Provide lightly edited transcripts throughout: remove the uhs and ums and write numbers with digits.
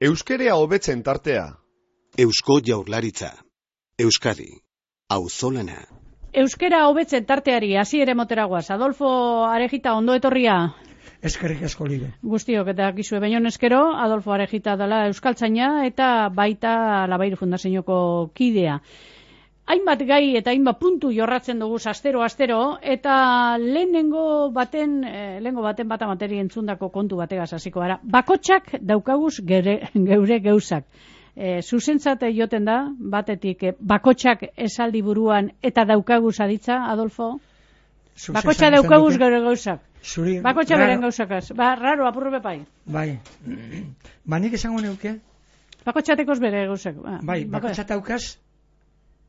Euskerea hobetzen tartea. Eusko Jaurlaritza. Euskadi. Auzolana. Euskera hobetzen tarteari hasiera moteragoaz. Adolfo Arejita, ondo etorria. Eskerrik asko libe. Guztiok eta gizue baion eskero, Adolfo Arejita dela euskaltzaina eta baita Labairu Fundazioko kidea. Hainbat gai eta hainbat puntu jorratzen dugu astero eta lehenengo baten bata materi entzundako kontu bategaz hasiko gara. Bakotxak daukaguz geure geuzak. Zuzentzate joten da, batetik, bakotxak esaldi buruan eta daukaguz aditza, Adolfo? Bakotxa daukaguz geure gauzak. Bakotxa beren gauzakaz. Raro, apurru bepai. Bai. Nik esango neuke? Bakotxatekoz bere gauzak. Bai, bakotxa daukaz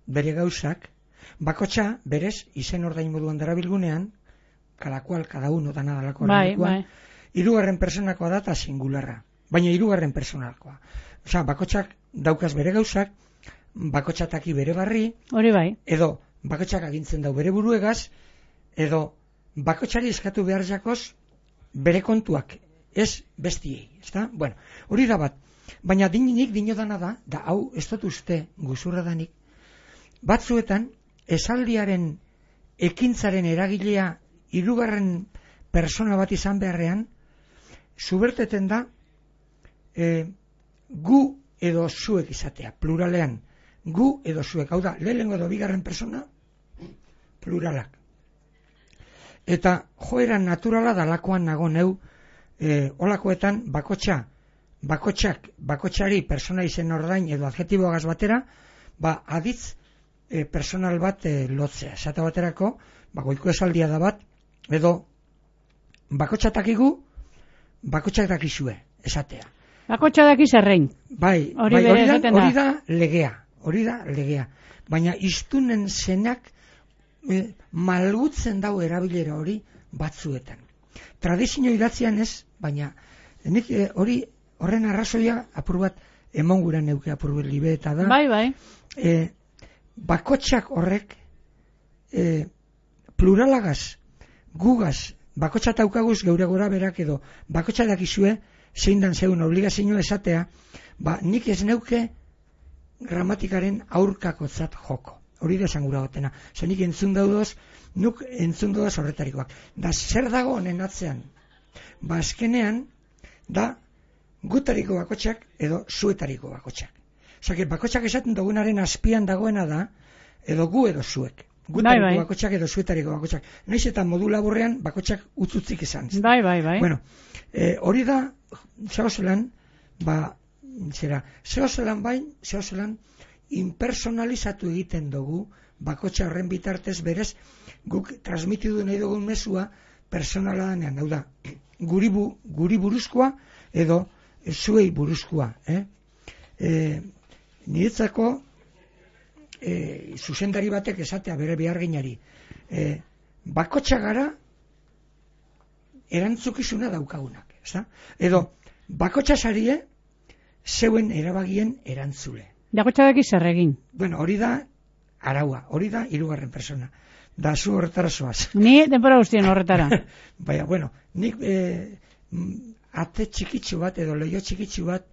bere gauzak, bakotxa berez izen ordain moduan darabilgunean, cada cual, cada uno, dana dalako arrenduan, hirugarren personakoa da eta singularra. Baina hirugarren personakoa. Osa, bakotxak daukaz bere gauzak, bakotxataki bere barri, hori bai. Edo bakotxak agintzen dau bere buruegaz, edo bakotxari eskatu behar jakoz bere kontuak, ez bestiei, ezta? Bueno, hori da bat. Baina nik dinodana da hau ez dut uste guzurra danik, batzuetan esaldiaren ekintzaren eragilea hirugarren persona bat izan beharrean, zuberteten da gu edo zuek izatea, pluralean, gu edo zuek, hau da, lehenengo edo bigarren persona, pluralak. Eta joera naturala dalakoan nago neu, olakoetan bakotxari persona izen ordain edo adjetiboagaz batera, aditz personal bat lotzea. Esate baterako, goiko esaldia da bat, edo bakotxatakigu, bakotxak dakizue, esatea. Bakotxa dakiz errein. Bai, hori da legea. Baina iztunen zenak malgutzen dau erabilera hori batzuetan. Tradizio idatzian ez, baina nik horren arrazoia apur bat emonguran neuke apur bat libe eta da. Bai. Bakotxak horrek pluralagaz, gugaz, bakotxa taukaguz geure gora berak edo bakotxa dakizue zein dan zeun obligazio esatea, nik ez neuke gramatikaren aurkakotzat joko. Hori da esan gura gotena. Nik entzun daudaz horretarikoak. Da zer dago honen atzean? Azkenean da gutariko bakotxak edo zuetariko bakotxak. Osea, bakotxak esaten dugunaren azpian dagoena da, edo gu edo zuek. Gutariko bakotxak edo zuetariko bakotxak. Noiz eta modu laburrean bakotxak utzutzik izan. Bai. Bueno, hori da, zehozelan impersonalizatu egiten dugu bakotxa horren bitartez berez guk transmitidu nahi dugun mezua personala danean, hau da, guri buruzkoa edo zuei buruzkoa. Niretzako zuzendari batek esatea bere beharginari, bakotxa gara erantzukizuna daukagunak, edo bakotxa sarie zeuen erabagien erantzule. Bakotxa daki zer egin. Bueno, hori da araua, hori da hirugarren persona. Da zu horretara zoaz. Ni denbora guztien horretara. Baina, bueno, nik ate txikitsu bat edo leio txikitsu bat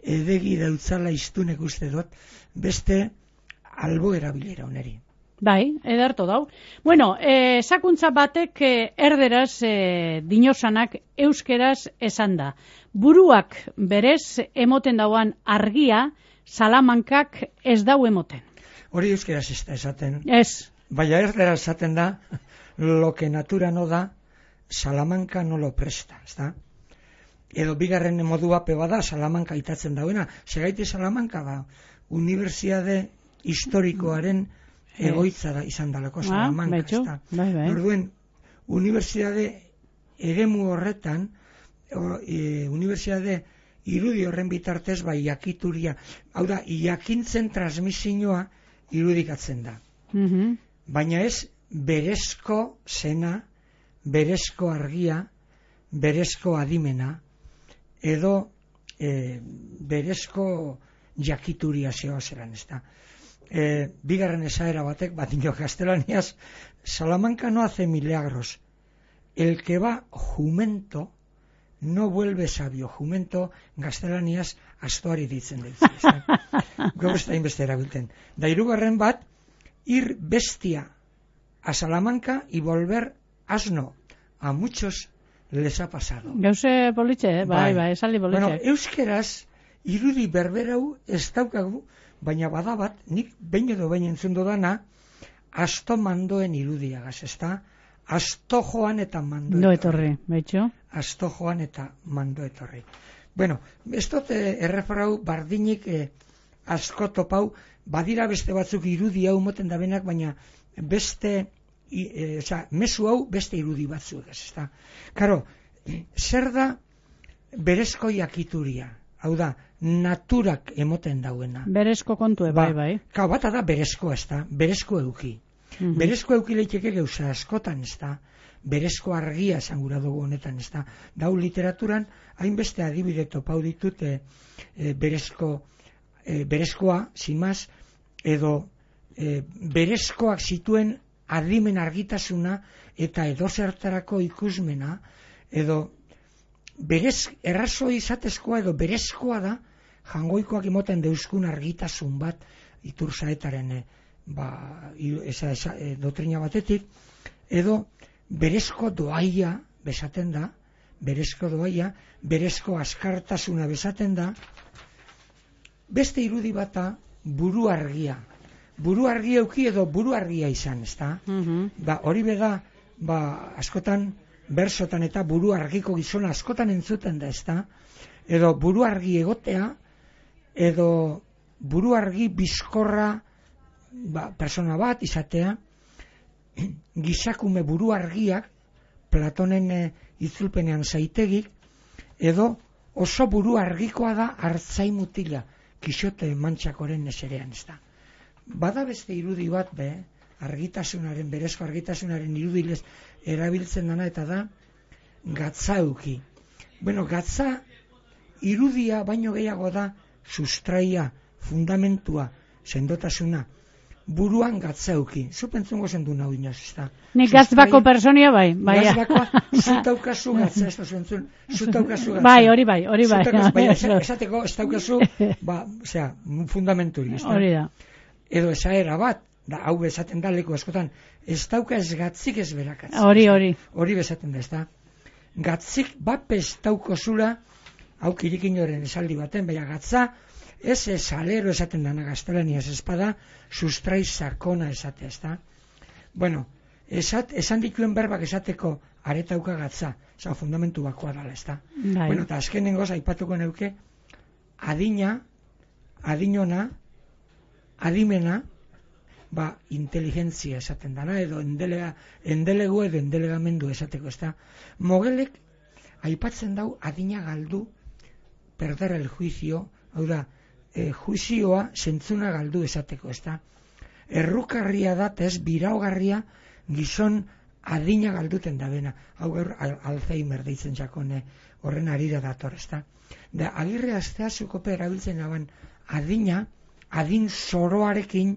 edegi dautzala iztunek uste dut, beste albo erabilera oneri. Bai, ederto dau. Bueno, sakuntza batek erderaz dinosanak euskeraz esan da. Buruak berez emoten dauan argia, Salamankak ez dau emoten. Hori euskeraz ez da esaten. Ez. Baina erderaz esaten da, lo que natura no da, Salamanca no lo presta, ez da? Edo bigarren modua peba da, Salamanca itatzen dauena. Segaiti Salamanca unibertsiade historikoaren egoitza da izan dalako Salamanca, ez da? Orduen, unibertsiade eremu horretan, unibertsiade irudi horren bitartez jakituria, hau da, jakintzen transmisioa irudikatzen da. Baina ez berezko zena, berezko argia, berezko adimena, edo berezko jakituria zelan, ez da. Bigarren esaera batek, dio no vuelve sabio jumento gaztelaniaz astoari ditzen dut. Gaur ez da inbeste erabilten. Da hirugarren bat, ir bestia a Salamanca y volver asno. A muchos les ha pasado. Gauze politxe, bai, esaldi politxe. Bueno, euskeraz, irudi berberau ez daukagu, baina badabat, nik behin edo behin entzun dudana, asto mandoen irudiagaz, ezta? Asto joan eta mando etorri. Betxo. Asto joan eta mando etorri. Bueno, ez dut erreferau bardinik asko topau, badira beste batzuk irudi hau moten da benak, baina beste, mezu hau beste irudi batzuk, ezta? Karo, zer da berezko jakituria? Hau da, naturak emoten dauena. Berezko kontue, bai. Kau, bata da berezko, ezta? Berezko euki. Berezko euki leiteke gauza askotan, ezta? Berezko argia esangura dugu honetan, ezta? Dau literaturan, hainbeste adibide topau ditut berezkoa, zimaz, edo berezkoak zituen adimen argitasuna eta edozertarako ikusmena, edo errazo izatezkoa edo berezkoa da, jangoikoak imoten deuskun argitasun bat iturzaetaren dotrina batetik, edo berezko doaia besaten da, berezko askartasuna besaten da, beste irudi bata buru argia. Buru argia euki edo buru argia izan, ezta? Hori beda, askotan, bersotan eta buru argiko gizona askotan entzuten da, ezta? Edo buru argi egotea, edo buru argi bizkorra persona bat izatea, gizakume buru argiak, Platonen itzulpenean zaitegik, edo oso buru argikoa da hartzai mutila, Kixote Mantxakoren eserean, ezta? Bada beste irudi bat, argitasunaren, berezko argitasunaren irudilez erabiltzen dana, eta da gatza euki. Bueno, gatza irudia baino gehiago da sustraia, fundamentua, sendotasuna, buruan gatza euki. Zu pentzungo zendu nahu inoz, ez da? Nik gazbako personia bai. Gazbakoa, zutaukazu gatza, ez da zuen, zutaukazu gatza. Bai, hori bai. Esateko, ez daukazu, fundamenturi, ez da? Hori da. Edo esaera bat, hau bezaten da leku askotan, ez dauka ez gatzik ez berakatzik. Hori bezaten da, ez da? Gatzik bat ez dauko zula, hau kirikinoren esaldi baten, baina gatza, ez salero esaten dana gaztelaniaz espada, sustrai sakona esate, ez da? Bueno, esan dituen berbak esateko aretauka gatza, fundamentu bakoa dala, ez da? Bueno, eta azkenengoz aipatuko neuke, adinona, adimena, inteligentzia esaten dana, edo endelegu edo endelegamendu esateko, ez da? Mogelek aipatzen dau adina galdu, perder el juicio, hau da, juizioa zentzuna galdu esateko, ez da? Errukarria da, ez biraugarria gizon adina galduten da bena. Hau gaur Alzheimer deitzen jakone horren arira dator, ez da? Da, Agirre Asteazukope erabiltzen daban adin zoroarekin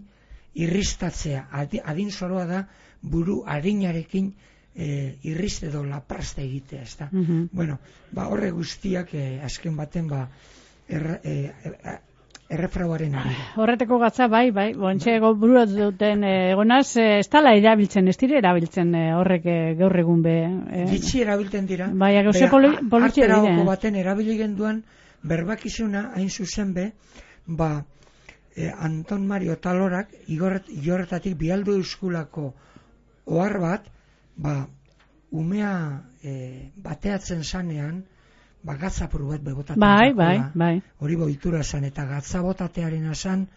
irristatzea. Adin zoroa da buru arinarekin irriste edo lapraste egitea, ez da? Bueno, horre guztiak azken baten errefrauaren arira. Horreteko gatza, bai, bontxego buruat duten egonaz, ez tala erabiltzen, ez dire erabiltzen horrek gaur egun be. Gitzi erabiltzen dira. Bai, gauze politxe dire. Artera baten erabili genduan, berbakizuna hain zuzen be, Anton Mario Talorak igorretatik bialdu euskulako ohar bat, umea bateatzen zanean, gatzapuru bat bebotatzen. Bai. Hori boitura zan, eta gatzabotatearen azan,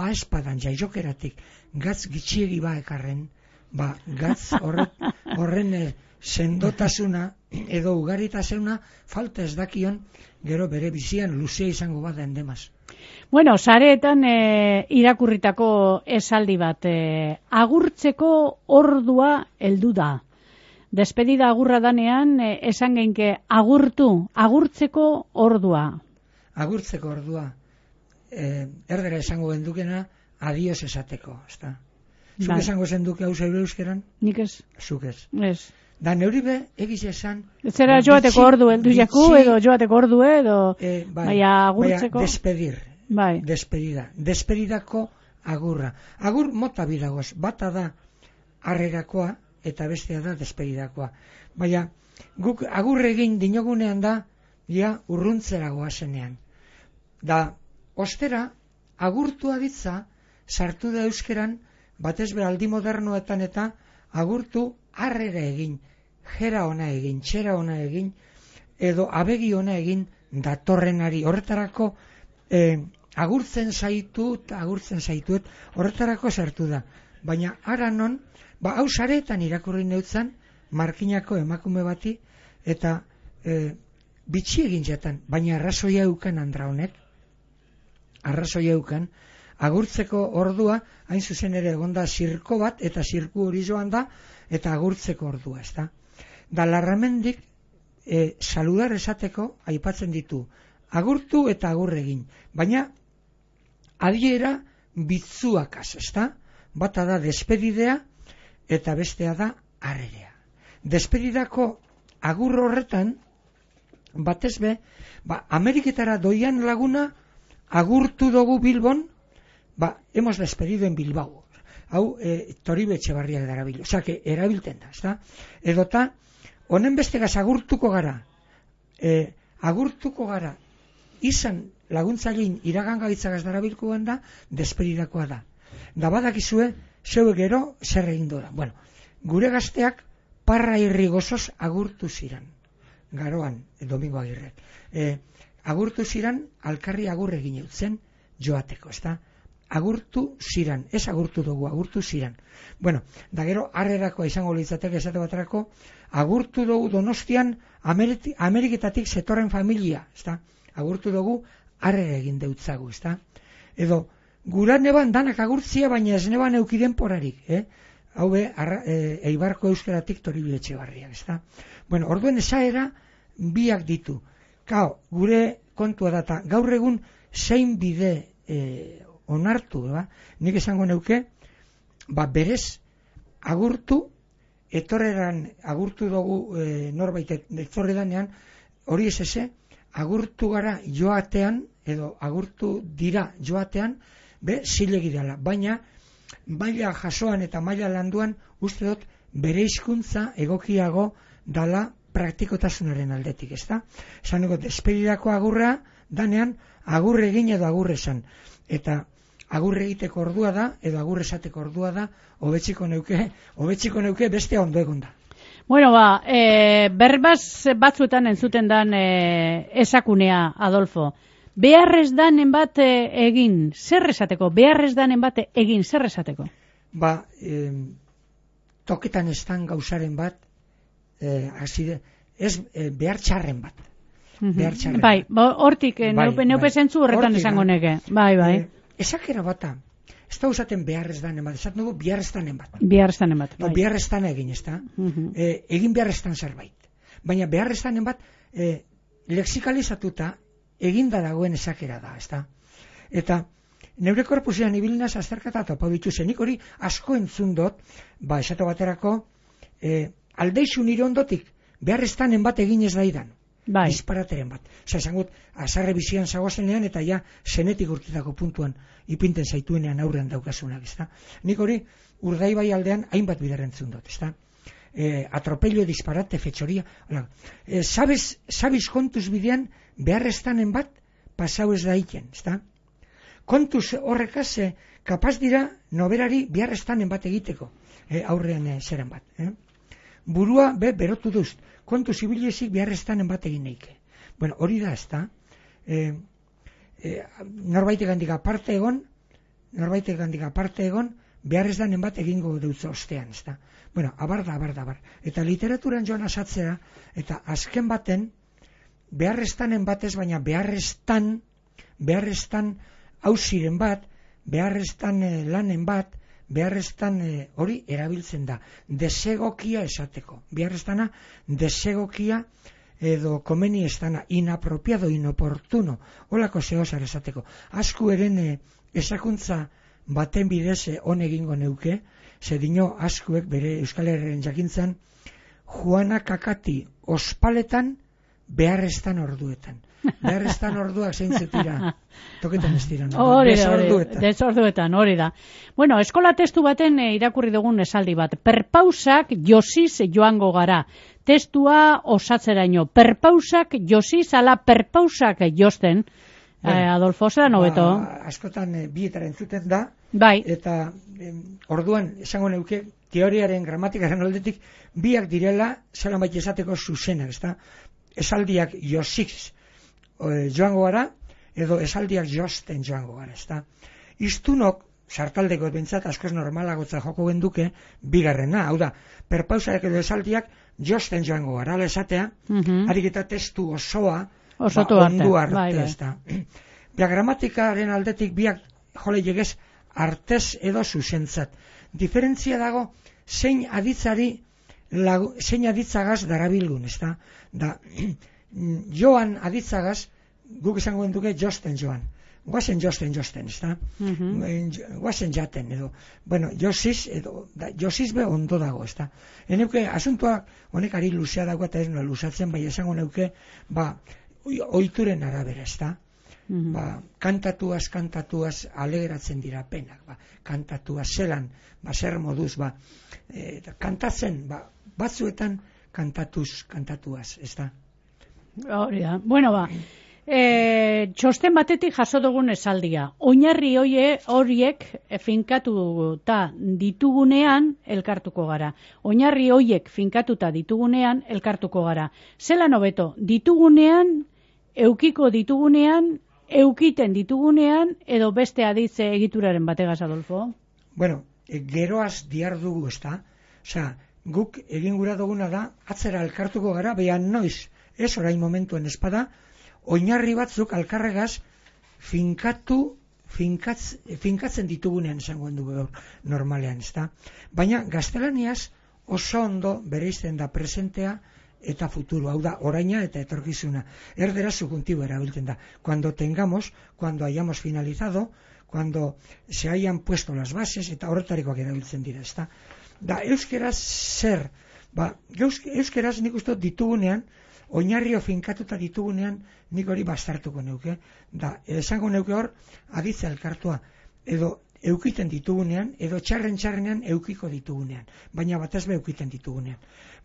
espadan jaizokeratik, gatz gitxiegi ekarren, gatz horren sendotasuna, edo ugaritasuna, falta ez dakion, gero bere bizian luzea izango bat da endemaz. Bueno, sareetan irakurritako esaldi bat, agurtzeko ordua heldu da. Despedida agurra danean, esan geinke agurtzeko ordua. Agurtzeko ordua, erdera esango gendukena, adios esateko, ezta? Zuk esango zenduke hau zeure euskeran? Nik ez. Zuk ez. Ez. Da neuribe egiz esan... Zera joateko ordu heldu jaku, edo joateko ordu edo... Baina agurtzeko... Despedir. Bai. Despedida. Despedidako agurra. Agur mota bidagoz. Bata da harrerakoa eta bestea da despedidakoa. Baina guk agur egin dinogunean da ja urruntzera goazenean. Da ostera agurtua ditza sartu da euskeran batez be aldi modernoetan eta agurtu harrera egin, jera ona egin, txera ona egin edo abegi ona egin datorrenari. Horretarako agurtzen zaituet, horretarako sartu da. Baina ara non, hau sareetan irakurri neutzan, markinako emakume bati, eta bitxi egin jatan, baina arrazoia eukan andra honek, arrazoia eukan, agurtzeko ordua, hain zuzen ere egonda zirko bat, eta zirku hori joan da, eta agurtzeko ordua, ez da. Da Larramendik, saludar esateko, aipatzen ditu, agurtu eta agur egin, baina adiera bitzuakaz, ez da? Bata da despedidea eta bestea da harrerea. Despedidako agur horretan, batez be, Ameriketara doian laguna agurtu dugu Bilbon, hemos despedido en Bilbao. Hau, Toribe Etxebarriak darabil, osea, que erabilten da, ez da? Edota, honen bestegaz agurtuko gara, izan laguntzailein iragangaitzagaz darabilkoan da, despedidakoa da. Da badakizue, zeu gero zer egin dora. Bueno, gure gazteak parra irri gozoz agurtu ziran. Garoan, Domingo Agirrek. Agurtu ziran, alkarri agur egin eutzen joateko, ez da? Agurtu ziran, ez agurtu dugu, agurtu ziran. Bueno, da gero harrerakoa izango litzateke esate baterako, agurtu dugu Donostian Ameriketatik zetorren familia, ez da? Agurtu dugu harrera egin deutzagu, ez da? Edo, gura neban danak agurtzia, baina ez neban eukiden porarik, hau Eibarko euskeratik Toribe Etxebarriak, ez da? Bueno, orduen esaera biak ditu. Kao, gure kontua data, gaur egun zein bide onartu, nik esango neuke, berez agurtu, etorreran agurtu dugu norbait etorredanean, hori ez agurtu gara joatean, edo agurtu dira joatean, zilegi dela, baina maila jasoan eta maila landuan uste dut bere hizkuntza egokiago dala praktikotasunaren aldetik, ez da? Esan dugu, despedidako agurra danean agur egin edo agur esan, eta agur egiteko ordua da edo agur esateko ordua da, hobetziko neuke bestea ondo egon da. Bueno, berbaz batzuetan entzuten dan esakunea, Adolfo. Beharrez danen bat egin, zer esateko? Beharrez danen bat egin, zer esateko? Toketan estan gauzaren bat, behar txarren bat. Bai, hortik, neupe zentzu horretan esango neke. Bai. Esakera bata, ez da usaten beharrez danen bat, esaten dugu beharrez danen bat. Beharrez danen egin, ez da? Egin beharrez dan zerbait. Baina beharrez danen bat, lexikalizatuta, eginda dagoen esakera da, ez da? Eta neure korpusean ibilinaz azterkata topau dituzen, nik hori asko entzun dut, esate baterako, aldeixu nire ondotik, beharreztanen bat egin ez daidan, disparateren bat. Esangut, azarre bizian zagoazenean, eta ja, zenetik urtetako puntuan, ipinten zaituenean aurrean daukasunak, ez da? Nik hori, Urdaibai aldean, hainbat bidar entzun dut, ez da? Atropello, disparate, fetxoria, sabes kontuz bidean, beharreztanen bat pasau ez daiken, ez da? Kontuz horrekaz, kapaz dira noberari beharreztanen bat egiteko, aurrean zeran bat. Burua, berotu duz, kontuz ibiliezik beharreztanen bat egin neike. Bueno, hori da, ez da? Norbaitek handik aparte egon, beharreztanen bat egingo deutza ostean, ez da? Bueno, abar. Eta literaturan joan asatzea, eta azken baten, beharreztanen batez, baina beharreztan hauziren bat, beharreztan lanen bat, beharreztan hori erabiltzen da. Desegokia esateko. Beharreztana, desegokia edo komeni estana, inapropiado, inoportuno, holako zehozar esateko. Asku eren esakuntza baten bidez on egingo neuke, ze dino askuek bere Euskal Herriaren jakintzan, Juana Kakati ospaletan beharreztan orduetan. Beharreztan orduak zeintzuk dira. Toketan ez dira. Desorduetan, hori da. Bueno, eskola testu baten irakurri dugun esaldi bat. Perpausak josiz joango gara. Testua osatzeraino. Perpausak josiz ala perpausak josten. Adolfo, zera nobeto? Askotan bietara entzuten da. Bai. Eta orduan, esango neuke, teoriaren, gramatikaren aldetik, biak direla, zelan baita esateko zuzenak, ezta? Esaldiak josiz joango gara, edo esaldiak josten joango gara, ezta? Iztunok, sartaldeko bentsat, askoz normalagotza joko genduke, bigarrena, hau da, perpausak edo esaldiak josten joango gara, ala esatea, harik eta testu osoa, ondu arte, ezta? Gramatikaren aldetik biak jole llegez artez edo zuzentzat. Diferentzia dago zein aditzagaz darabilgun, ezta? Da, joan aditzagaz, guk esango genduke josten joan. Guazen josten, ezta? Guazen jaten, edo. Bueno, josiz be ondo dago, ezta? Eneuke, asuntua honek ari luzea dago eta ez nola luzatzen, bai esango neuke, oituren arabera, ezta? Kantatuaz alegeratzen dira penak, kantatuaz zelan, zer moduz, kantatzen, batzuetan kantatuaz, ezta? Hori da. Bueno, txosten batetik jaso dugun esaldia. Oinarri horiek finkatuta ditugunean elkartuko gara. Oinarri horiek finkatuta ditugunean elkartuko gara. Zelan hobeto, ditugunean, eukiko ditugunean, eukiten ditugunean, edo beste aditze egituraren bategaz, Adolfo? Bueno, geroaz diardugu, ezta? Osea, guk egin gura duguna da, atzera elkartuko gara, behan noiz, ez orain momentuen espada, oinarri batzuk alkarregaz finkatzen ditugunean esango dugu gaur normalean, ezta? Baina gaztelaniaz oso ondo bereizten da presentea eta futuro, hau da, oraina eta etorkizuna. Erdera subjuntibo erabiltzen da. Cuando hayamos finalizado, cuando se hayan puesto las bases, eta horretarikoak erabiltzen dira, ezta? Da, euskeraz zer? Euskeraz nik uste ditugunean, oinarrio finkatuta ditugunean, nik hori bastartuko neuke. Da, esango neuke hor, aditza elkartua, edo eukiten ditugunean, edo txarrenean eukiko ditugunean. Baina batez be eukiten ditugunean.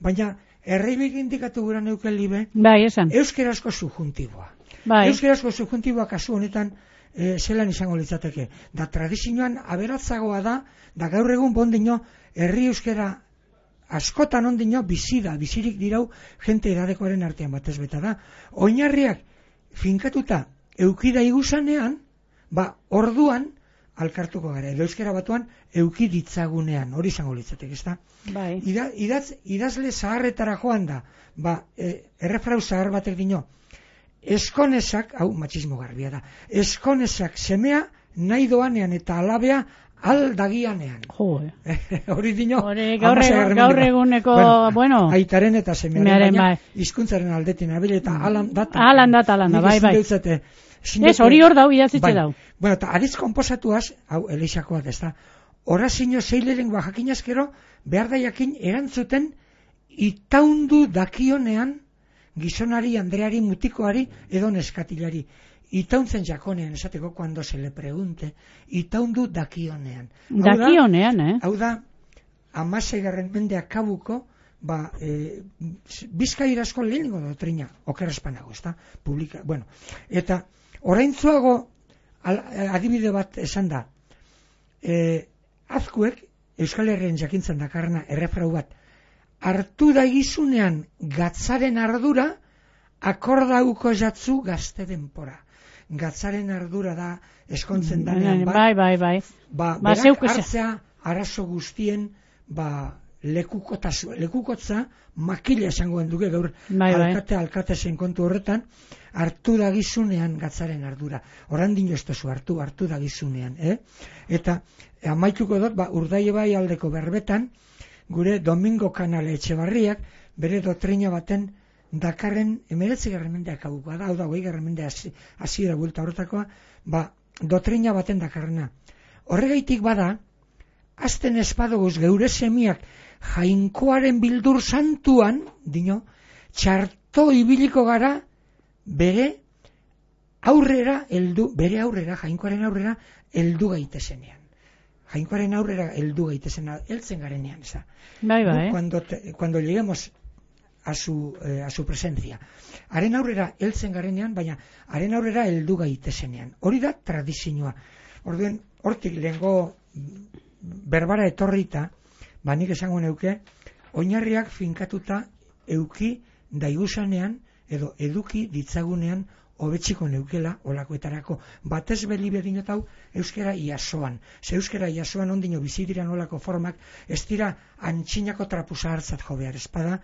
Baina, erreibik indikatu gura neuke libe, euskerazko subjuntiboa. Euskerazko subjuntiboa kasu honetan, zelan izango litzateke. Da, tradizioan aberatzagoa da gaur egun bondino, herri euskera askotan ondino bizirik dirau jente edadekoaren artean batez beta da. Oinarriak finkatuta eukida iguzanean, orduan alkartuko gara. Edo euskera batuan eukiditzagunean, hori izango litzatek, ezta? Bai. Idazle zaharretara joan da, errefrau zahar batek dino, eskonezak, hau matxismo garbia da, eskonezak semea nahi doanean eta alabea aldagianean. Hori dino, gaur eguneko, bueno. Aitaren eta semearen, baina hizkuntzaren aldetin abile eta alan data, bai. Ez, hori hor dau, idatzitze dau. Bueno, eta adiz komposatuaz, hau, eleixakoak ez da, horazino zeileren jakinazkero, behar da jakin erantzuten itaundu dakionean gizonari, andreari, mutikoari, edo neskatilari. Itauntzen jakonean, esateko, cuando se le pregunte, itaundu dakionean. Dakionean, Hau da, 16. mendea kabuko, Bizkairazko lehenengo doktrina, okerrezpanago, ez da, publika, bueno, eta oraintzuago adibide bat esan da, azkuek, Euskal Herrien jakintzen dakarna errefrau bat, hartu da gizunean gatzaren ardura, akordauko jatzu gazte denpora. Gatzaren ardura da eskontzen danean, bai. Berak hartzea arazo guztien, lekukotza, makila esango duke gaur alkate zen kontu horretan, hartu da gizunean gatzaren ardura. Orandino ez tozu hartu da gizunean, Eta amaituko dut, Urdaile bai aldeko berbetan, gure Domingo Kanale Etxebarriak, bere doktrina baten dakarren 19. mendeak abukoa da, hau da, 20. mendea hasiera buelta horretakoa, doktrina baten dakarrena. Horregaitik bada, azten espadoguz geure semiak Jainkoaren bildur santuan, txarto ibiliko gara bere aurrera, jainkoaren aurrera heldu gaitezenean. Jainkoaren aurrera heldu gaitezenean, heltzen garenean, eza. Bai. Cuando lleguemos a su presencia. Haren aurrera heltzen garenean, baina haren aurrera heldu gaitezenean. Hori da tradizioa. Orduen, hortik lehengo berbara etorrita, nik esango neuke, oinarriak finkatuta euki daigusanean edo eduki ditzagunean hobetziko neukela olakoetarako. Batez beli bedinotau euskera iasoan. Ze euskera iasoan ondino bizidiran olako formak ez dira antxinako trapusa hartzat jo behar. Espada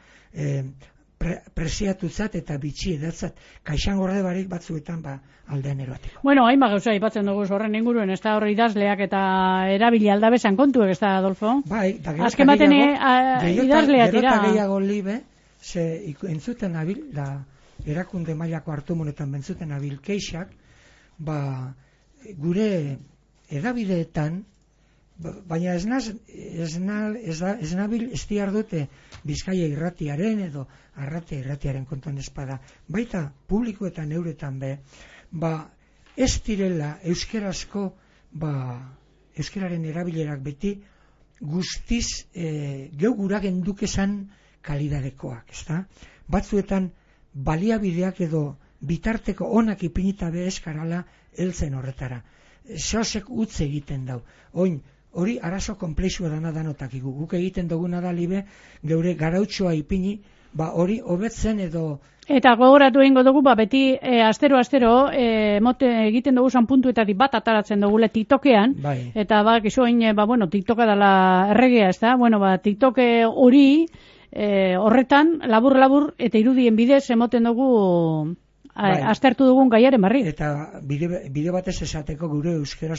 presiatutzat eta bitxi edatzat. Kaixan gorde barik batzuetan aldean eroateko. Bueno, hainba gauza aipatzen dugu horren inguruen, ez da horri idazleak eta erabili aldabezan kontuek, ez da, Adolfo? Bai, da azken baten idazleak dira. Gerota gehiago libe, ze entzuten abil, da erakunde mailako hartumunetan bentzuten abil keixak, gure edabideetan, baina ez nabil ez diar dute Bizkaia irratiaren edo Arratia irratiaren kontuan espada, baita publikoetan euretan ez direla euskerazko euskeraren erabilerak beti guztiz geu gura gendukezan kalidadekoak, ezta? Batzuetan baliabideak edo bitarteko onak ipinita be eskarala heltzen horretara. Sosek utze egiten dau. Hori arazo komplexua dana danotakigu. Guk egiten duguna da libe, geure garautxoa ipini, hori hobetzen edo... Eta gogoratu egingo dugu, beti astero egiten dugu zan puntuetatik bat ataratzen dugule TikTokean, eta kizu hain, TikToka dela erregea, ez da? TikToke hori horretan, labur eta irudien bidez emoten dugu aztertu dugun gaiaren barri. Eta bide batez esateko gure euskera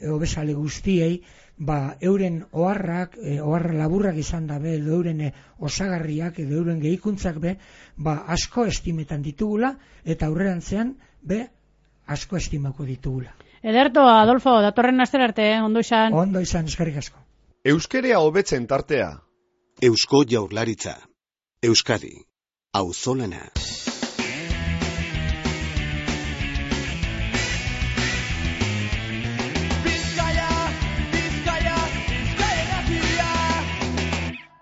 hobesale guztiei, euren oharrak, oharra laburrak izan dabe, edo euren osagarriak, edo euren gehikuntzak asko estimetan ditugula, eta aurrerantzean asko estimako ditugula. Ederto, Adolfo, datorren astera arte, ondo izan. Ondo izan, eskerrik asko. Euskerea hobetzen tartea. Eusko Jaurlaritza. Euskadi. Auzolana.